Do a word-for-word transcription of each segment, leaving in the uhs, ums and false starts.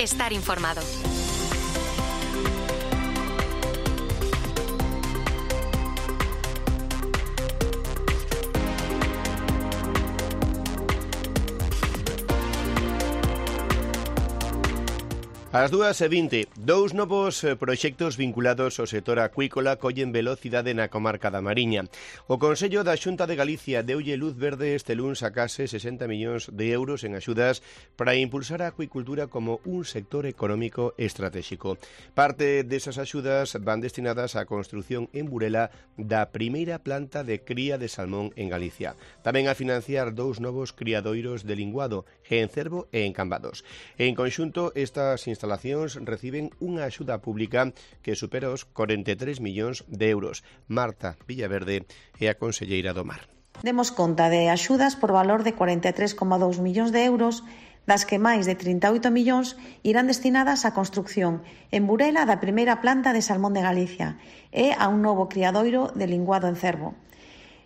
Estar informado. Ás dúas e vinte, dous novos proxectos vinculados ao sector acuícola collen velocidade na comarca da Mariña. O Consello da Xunta de Galicia deulle luz verde este luns a case sesenta millóns de euros en axudas para impulsar a acuicultura como un sector económico estratégico. Parte desas axudas van destinadas á construción en Burela da primeira planta de cría de salmón en Galicia. Tamén a financiar dous novos criadoiros de linguado en Cervo e en Cambados. En conxunto, estas instalacións reciben unha axuda pública que supera os corenta e tres millóns de euros. Marta Villaverde é a conselleira do Mar. Demos conta de axudas por valor de corenta e tres coma dous millóns de euros, das que máis de trinta e oito millóns irán destinadas á construción en Burela da primeira planta de salmón de Galicia e a un novo criadoiro de linguado en Cervo.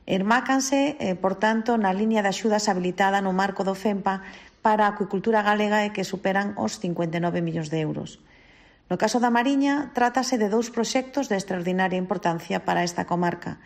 Ermácanse, eh, por tanto, na liña de axudas habilitada no marco do FEMPA para a acuicultura galega e que superan os cincuenta e nove millóns de euros. No caso da Mariña, trátase de dous proxectos de extraordinaria importancia para esta comarca.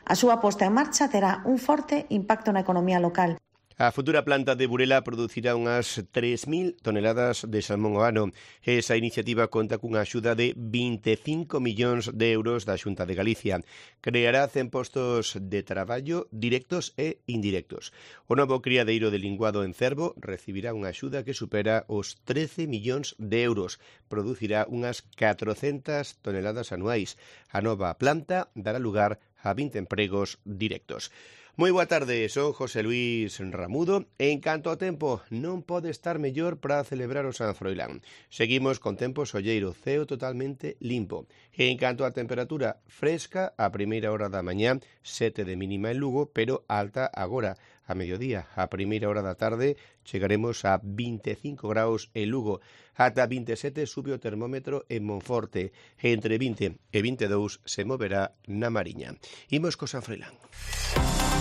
A súa posta en marcha terá un forte impacto na economía local. A futura planta de Burela producirá unhas tres mil toneladas de salmón ao ano. Esa iniciativa conta cunha axuda de vinte e cinco millóns de euros da Xunta de Galicia. Creará cen postos de traballo directos e indirectos. O novo criadeiro de linguado en Cervo recibirá unha axuda que supera os trece millóns de euros. Producirá unhas catrocentas toneladas anuais. A nova planta dará lugar a vinte empregos directos. Moi boa tarde, son José Luis Ramudo. En canto ao tempo, non pode estar mellor para celebrar o San Froilán. Seguimos con tempo solleiro, ceo totalmente limpo. En canto á temperatura, fresca a primeira hora da mañá, sete de mínima en Lugo, pero alta agora. A mediodía, a primeira hora da tarde, chegaremos a vinte e cinco graus en Lugo. Ata vinte e sete sube o termómetro en Monforte. Entre vinte e vinte e dous se moverá na Mariña. Imos co San Froilán.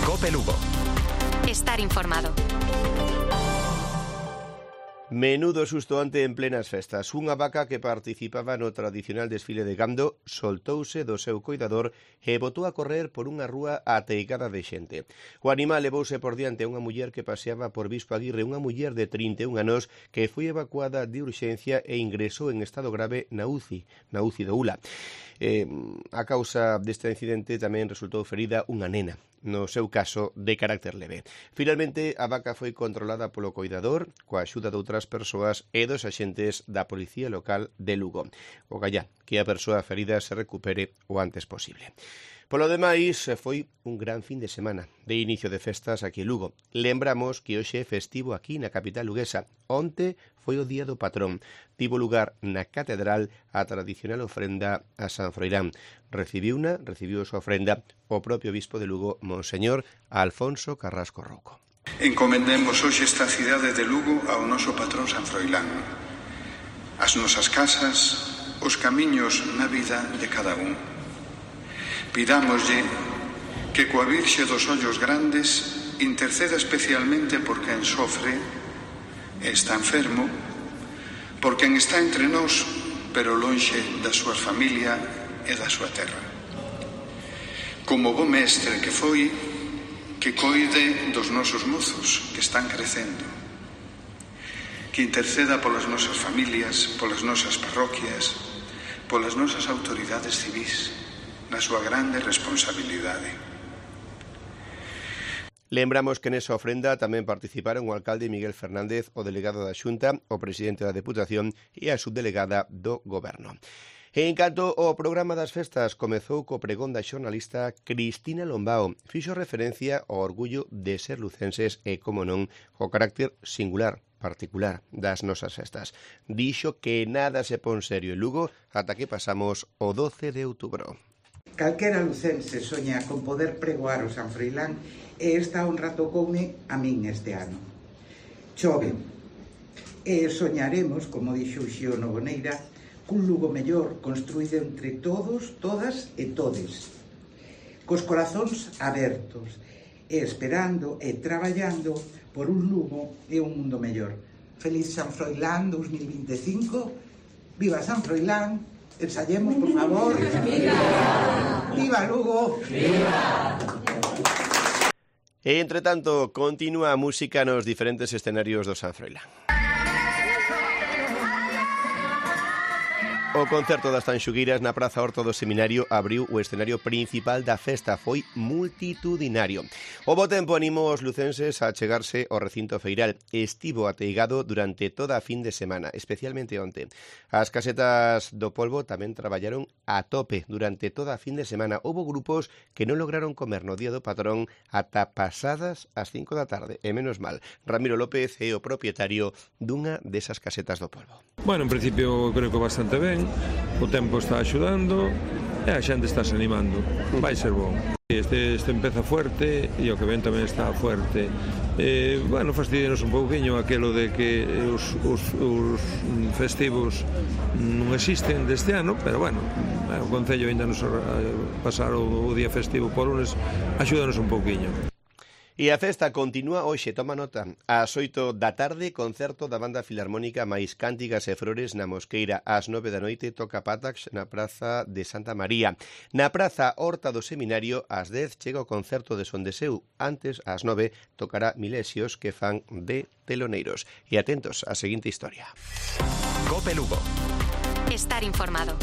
Cope Lugo. Estar informado. Menudo susto ante en plenas festas. Unha vaca que participaba no tradicional desfile de gando soltouse do seu coidador e botou a correr por unha rúa ateigada de xente. O animal levouse por diante a unha muller que paseaba por Bispo Aguirre, unha muller de trinta e un anos que foi evacuada de urxencia e ingresou en estado grave na U C I, na U C I do Ula. Eh, a causa deste incidente tamén resultou ferida unha nena, no seu caso de carácter leve. Finalmente, a vaca foi controlada polo coidador coa axuda de outras persoas e dos axentes da Policía Local de Lugo. O gallá, que a persoa ferida se recupere o antes posible. Polo demais, foi un gran fin de semana de inicio de festas aquí en Lugo. Lembramos que hoxe é festivo aquí na capital luguesa. Onte foi o día do patrón. Tivo lugar na catedral a tradicional ofrenda a San Froilán. Recibiuna, recibiu a súa ofrenda o propio bispo de Lugo, Monseñor Alfonso Carrasco Rouco. Encomendemos hoxe esta cidade de Lugo ao noso patrón San Froilán. As nosas casas, os camiños na vida de cada un. Pidámoslle que coa Virxe dos Ollos Grandes interceda especialmente por quen sofre e está enfermo, por quen está entre nós, pero lonxe da súa familia e da súa terra. Como bo mestre que foi, que coide dos nosos mozos que están crecendo, que interceda polas nosas familias, polas nosas parroquias, polas nosas autoridades civís, na súa grande responsabilidade. Lembramos que nesa ofrenda tamén participaron o alcalde Miguel Fernández, o delegado da Xunta, o presidente da Deputación e a subdelegada do Goberno. En canto ao programa das festas, comezou co pregón da xornalista Cristina Lombao. Fixo referencia ao orgullo de ser lucenses e, como non, o carácter singular, particular das nosas festas. Dixo que nada se pon serio en Lugo ata que pasamos o doce de outubro. Calquera lucense soña con poder pregoar o San Froilán e esta honra tocoume a min este ano. Chove. E soñaremos, como dixo Uxío Novoneira, cun Lugo mellor construído entre todos, todas e todes, cos corazóns abertos e esperando e traballando por un Lugo e un mundo mellor. Feliz San Froilán dos mil vinte e cinco. Viva San Froilán. Ensayemos, por favor. Viva, Viva Lugo. Viva. E, entre tanto, continúa a música nos diferentes escenarios do San Froilán. O concerto das Tanxugueiras na Praza Horta do Seminario abriu o escenario principal da festa. Foi multitudinario. O bo tempo animou os lucenses a chegarse ao recinto feiral. Estivo ateigado durante toda a fin de semana, especialmente onte. As casetas do polvo tamén traballaron a tope durante toda a fin de semana. Houbo grupos que non lograron comer no día do patrón ata pasadas as cinco da tarde. E menos mal, Ramiro López é o propietario dunha desas casetas do polvo. Bueno, en principio creo que bastante ben. O tempo está axudando e a xente está se animando. Vai ser bom. Este, este empeza fuerte e o que ven tamén está fuerte. Eh, bueno, fastidianos un pouquiño aquelo de que os, os, os festivos non existen deste ano, pero bueno, o Concello ainda nos pasar o, o día festivo por lunes axúdanos un pouquiño. E a festa continúa hoxe, toma nota. Ás oito da tarde, concerto da Banda Filarmónica máis Cántigas e Flores na Mosqueira. Ás nove da noite toca Patax na Praza de Santa María. Na Praza Horta do Seminario, ás dez chega o concerto de Son de Seu. Antes, ás nove, tocará Milesios que fan de teloneiros. E atentos á seguinte historia. Cope Lugo. Estar informado.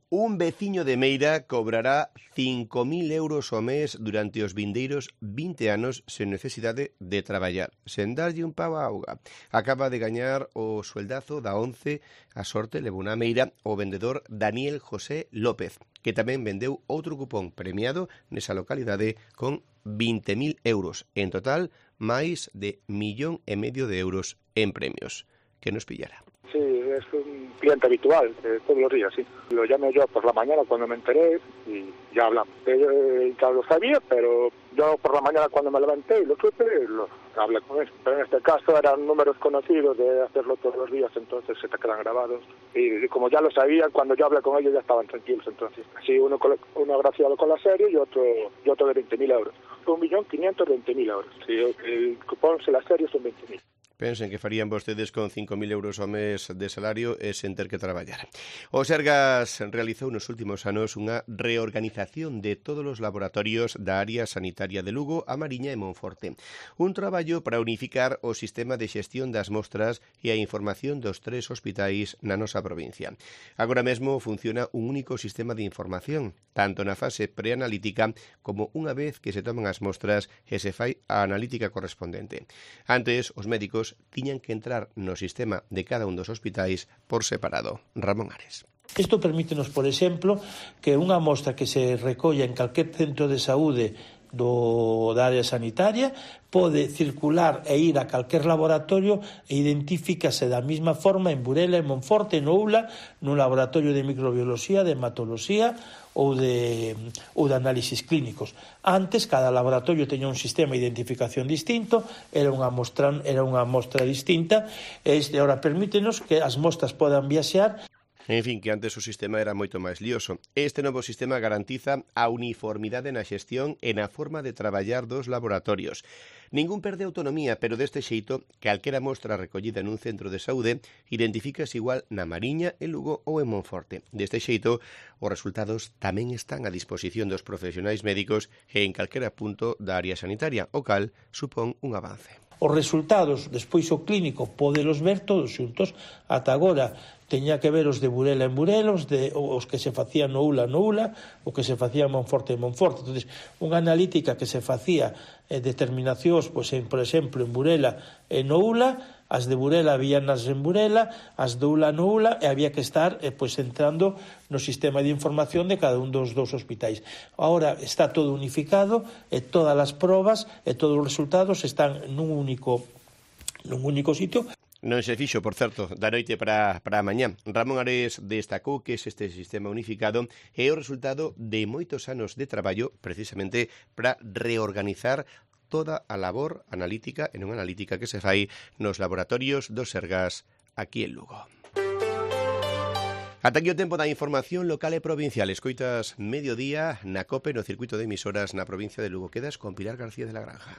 Un veciño de Meira cobrará cinco mil euros ao mes durante os vindeiros vinte anos sen necesidade de traballar, sen darlle un pavo á auga. Acaba de gañar o sueldazo da once, a sorte levou na Meira o vendedor Daniel José López, que tamén vendeu outro cupón premiado nesa localidade con vinte mil euros. En total, máis de millón e medio de euros en premios. Que nos pillara. Sí, es un cliente habitual, eh, todos los días, sí. Lo llamé yo por la mañana cuando me enteré y ya hablamos. Eh, ya lo sabía, pero yo por la mañana cuando me levanté y lo supe, lo hablé con él. Pero en este caso eran números conocidos de hacerlo todos los días, entonces se te quedan grabados. Y, y como ya lo sabían, cuando yo hablé con ellos ya estaban tranquilos, entonces. Así uno, uno agraciado con la serie y otro, y otro de veinte mil euros. un millón quinientos veinte mil euros. Sí, el cupón de la serie son veinte mil. Pensen que farían vostedes con cinco mil euros ao mes de salario e sen ter que traballar. O Sergas realizou nos últimos anos unha reorganización de todos os laboratorios da área sanitaria de Lugo, A Mariña e Monforte. Un traballo para unificar o sistema de xestión das mostras e a información dos tres hospitais na nosa provincia. Agora mesmo funciona un único sistema de información, tanto na fase preanalítica como unha vez que se toman as mostras e se fai a analítica correspondente. Antes, os médicos tiñan que entrar no sistema de cada un dos hospitais por separado. Ramón Ares. Isto permítenos, por exemplo, que unha mostra que se recolla en calquer centro de saúde do, da área sanitaria pode circular e ir a calquer laboratorio e identifícase da mesma forma en Burela, en Monforte, en Oula, no laboratorio de microbioloxía, de hematoloxía ou de, ou de análisis clínicos. Antes, cada laboratorio teña un sistema de identificación distinto, era unha mostra, era unha mostra distinta, e este ahora permítenos que as mostras podan viaxear. En fin, que antes o sistema era moito máis lioso. Este novo sistema garantiza a uniformidade na xestión e na forma de traballar dos laboratorios. Ningún perde autonomía, pero deste xeito, calquera mostra recollida nun centro de saúde identifícase igual na Mariña, en Lugo ou en Monforte. Deste xeito, os resultados tamén están a disposición dos profesionais médicos e en calquera punto da área sanitaria, o cal supón un avance. Os resultados, despois o clínico, podelos ver todos xuntos. Ata agora teña que ver os de Burela en Burela, os, de, os que se facían no Ula no Ula, o que se facía en Monforte en Monforte. Entón, unha analítica que se facía eh, determinacións, pois, en, por exemplo, en Burela e no Ula, as de Burela víanas en Burela, as de Ula no Ula, e había que estar eh, pois, entrando no sistema de información de cada un dos dous hospitais. Ahora está todo unificado, e todas as probas e todos os resultados están nun único, nun único sitio. Non se fixo, por certo, da noite para, para a mañá. Ramón Ares destacou que este sistema unificado é o resultado de moitos anos de traballo precisamente para reorganizar toda a labor analítica e non analítica que se fai nos laboratorios do Sergas aquí en Lugo. Ata aquí o tempo da información local e provincial. Escoitas mediodía na COPE no circuito de emisoras na provincia de Lugo. Quedas con Pilar García de la Granja.